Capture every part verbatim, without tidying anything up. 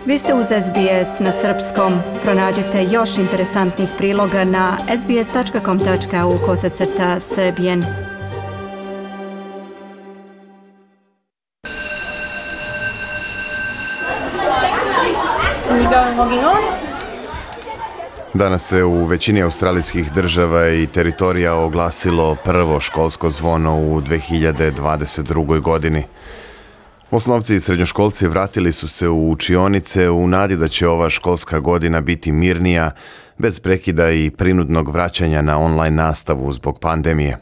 Vi ste uz S B S na srpskom. Pronađite još interesantnih priloga na sbs.com.au kosacrta srbijen. Danas se u većini australijskih država i teritorija oglasilo prvo školsko zvono u dve hiljade dvadeset drugoj. godini. Osnovci i srednjoškolci vratili su se u učionice u nadi da će ova školska godina biti mirnija, bez prekida i prinudnog vraćanja na online nastavu zbog pandemije.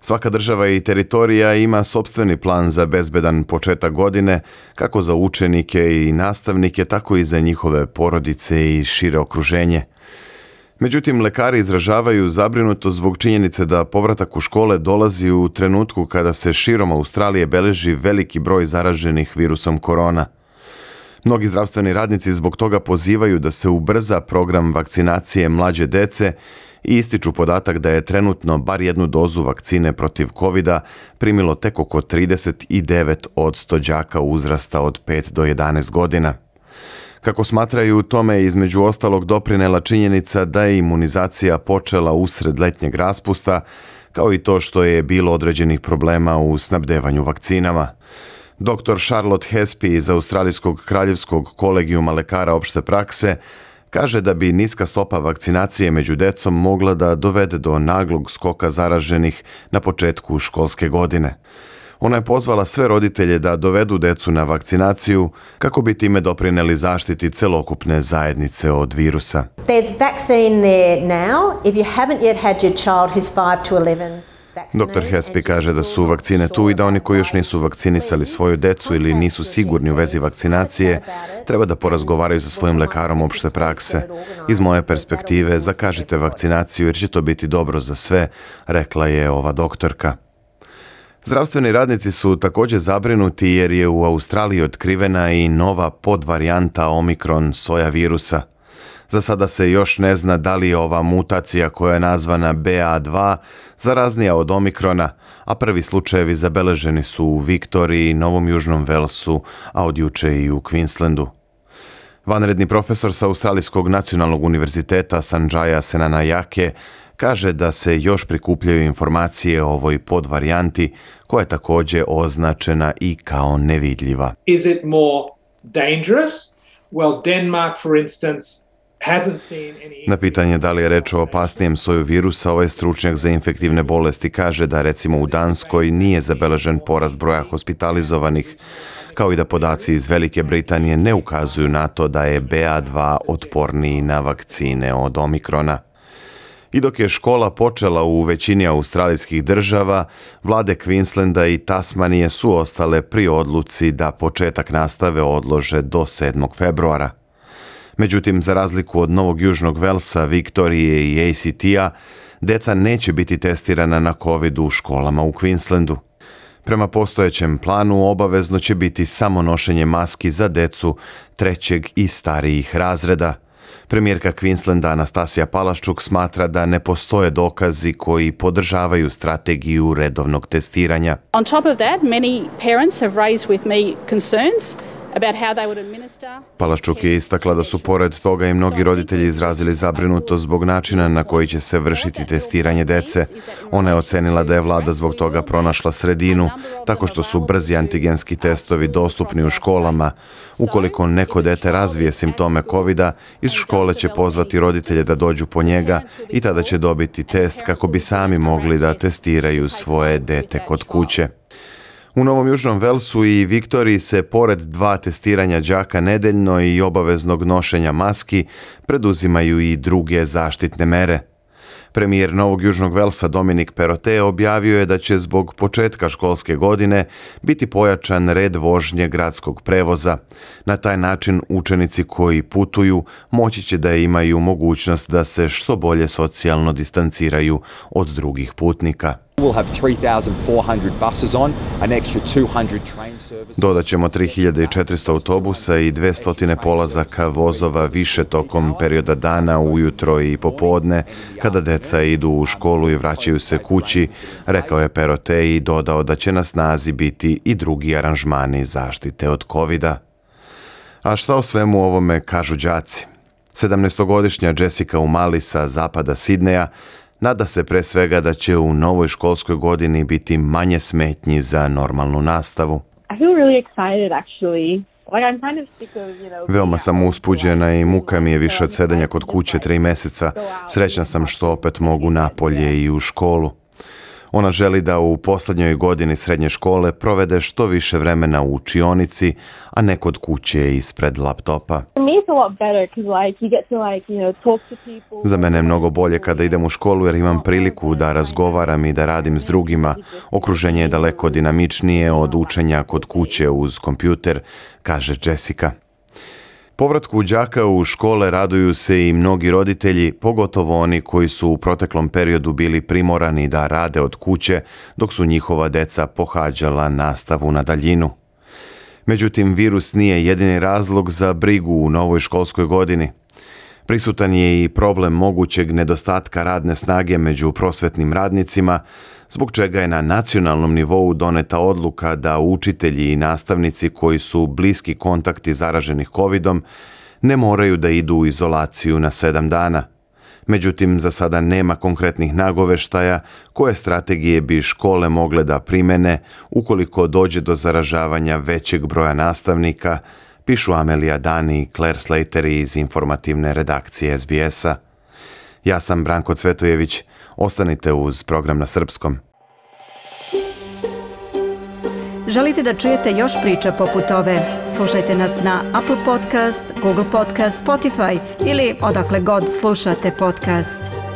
Svaka država i teritorija ima sopstveni plan za bezbedan početak godine, kako za učenike i nastavnike, tako i za njihove porodice i šire okruženje. Međutim, lekari izražavaju zabrinutost zbog činjenice da povratak u škole dolazi u trenutku kada se širom Australije beleži veliki broj zaraženih virusom korona. Mnogi zdravstveni radnici zbog toga pozivaju da se ubrza program vakcinacije mlađe dece i ističu podatak da je trenutno bar jednu dozu vakcine protiv kovida primilo tek oko trideset devet posto đaka uzrasta od pet do jedanaest godina. Kako smatraju, tome je između ostalog doprinela činjenica da je imunizacija počela usred letnjeg raspusta, kao i to što je bilo određenih problema u snabdevanju vakcinama. doktor Charlotte Hespe iz Australijskog kraljevskog kolegijuma lekara opšte prakse kaže da bi niska stopa vakcinacije među decom mogla da dovede do naglog skoka zaraženih na početku školske godine. Ona je pozvala sve roditelje da dovedu decu na vakcinaciju kako bi time doprineli zaštiti celokupne zajednice od virusa. There's vaccine there now. If you haven't yet had your child who's five to eleven doktor Hespe kaže da su vakcine tu i da oni koji još nisu vakcinisali svoju decu ili nisu sigurni u vezi vakcinacije, treba da porazgovaraju sa svojim lekarom opšte prakse. Iz moje perspektive, zakažite vakcinaciju jer će to biti dobro za sve, rekla je ova doktorka. Zdravstveni radnici su također zabrinuti jer je u Australiji otkrivena i nova podvarijanta Omikron soja virusa. Za sada se još ne zna da li je ova mutacija koja je nazvana B A dva zaraznija od Omikrona, a prvi slučajevi zabeleženi su u Viktoriji, Novom Južnom Velsu, a od juče i u Queenslandu. Vanredni profesor sa Australijskog nacionalnog univerziteta Sanjaya Senanayake kaže da se još prikupljaju informacije o ovoj podvarijanti koja je također označena i kao nevidljiva. Is it more dangerous? Well, Denmark, for instance, na pitanje da li je reč o opasnijem soju virusa, ovaj stručnjak za infektivne bolesti kaže da recimo u Danskoj nije zabeležen porast broja hospitalizovanih, kao i da podaci iz Velike Britanije ne ukazuju na to da je B A dva otporniji na vakcine od Omikrona. I dok je škola počela u većini australijskih država, vlade Queenslanda i Tasmanije su ostale pri odluci da početak nastave odlože do sedmog februara. Međutim, za razliku od Novog Južnog Velsa, Viktorije i A C T-a, deca neće biti testirana na COVID u školama u Queenslandu. Prema postojećem planu, obavezno će biti samo nošenje maski za decu trećeg i starijih razreda. Premijerka Queenslanda Anastasija Palaščuk smatra da ne postoje dokazi koji podržavaju strategiju redovnog testiranja. On top of that, many parents have raised with me concerns. Palaščuk je istakla da su pored toga i mnogi roditelji izrazili zabrinutost zbog načina na koji će se vršiti testiranje dece. Ona je ocenila da je vlada zbog toga pronašla sredinu, tako što su brzi antigenski testovi dostupni u školama. Ukoliko neko dete razvije simptome kovida, iz škole će pozvati roditelje da dođu po njega i tada će dobiti test kako bi sami mogli da testiraju svoje dete kod kuće. U Novom Južnom Velsu i Viktoriji se pored dva testiranja đaka nedeljno i obaveznog nošenja maski preduzimaju i druge zaštitne mere. Premijer Novog Južnog Velsa Dominic Perrottet objavio je da će zbog početka školske godine biti pojačan red vožnje gradskog prevoza. Na taj način učenici koji putuju moći će da imaju mogućnost da se što bolje socijalno distanciraju od drugih putnika. Dodat ćemo tri hiljade četiristo autobusa i dvesta polazaka vozova više tokom perioda dana, ujutro i popodne, kada deca idu u školu i vraćaju se kući, rekao je Perrottet i dodao da će na snazi biti i drugi aranžmani zaštite od kovida. A šta o svemu ovome kažu đaci? sedamnaestogodišnja Jessica Umali sa zapada Sidneja nada se pre svega da će u novoj školskoj godini biti manje smetnji za normalnu nastavu. I feel really excited actually. Like I'm kind of sick of, you know, Veoma sam uspuđena i muka mi je više od sedanja kod kuće tri meseca. Srećna sam što opet mogu napolje i u školu. Ona želi da u posljednjoj godini srednje škole provede što više vremena u učionici, a ne kod kuće ispred laptopa. For me it's a lot better because like you get to like, you know, talk to people. Za mene je mnogo bolje kada idem u školu jer imam priliku da razgovaram i da radim s drugima. Okruženje je daleko dinamičnije od učenja kod kuće uz kompjuter, kaže Jessica. Povratku đaka u škole raduju se i mnogi roditelji, pogotovo oni koji su u proteklom periodu bili primorani da rade od kuće dok su njihova deca pohađala nastavu na daljinu. Međutim, virus nije jedini razlog za brigu u novoj školskoj godini. Prisutan je i problem mogućeg nedostatka radne snage među prosvetnim radnicima, zbog čega je na nacionalnom nivou doneta odluka da učitelji i nastavnici koji su bliski kontakti zaraženih kovidom ne moraju da idu u izolaciju na sedam dana. Međutim, za sada nema konkretnih nagoveštaja koje strategije bi škole mogle da primene ukoliko dođe do zaražavanja većeg broja nastavnika, pišu Amelija Dani i Claire Slater iz informativne redakcije S B S-a. Ja sam Branko Cvetojević. Ostanite uz program na srpskom. Želite da čujete još priča poput ove? Slušajte nas na Apple Podcast, Google Podcast, Spotify ili odakle god slušate podcast.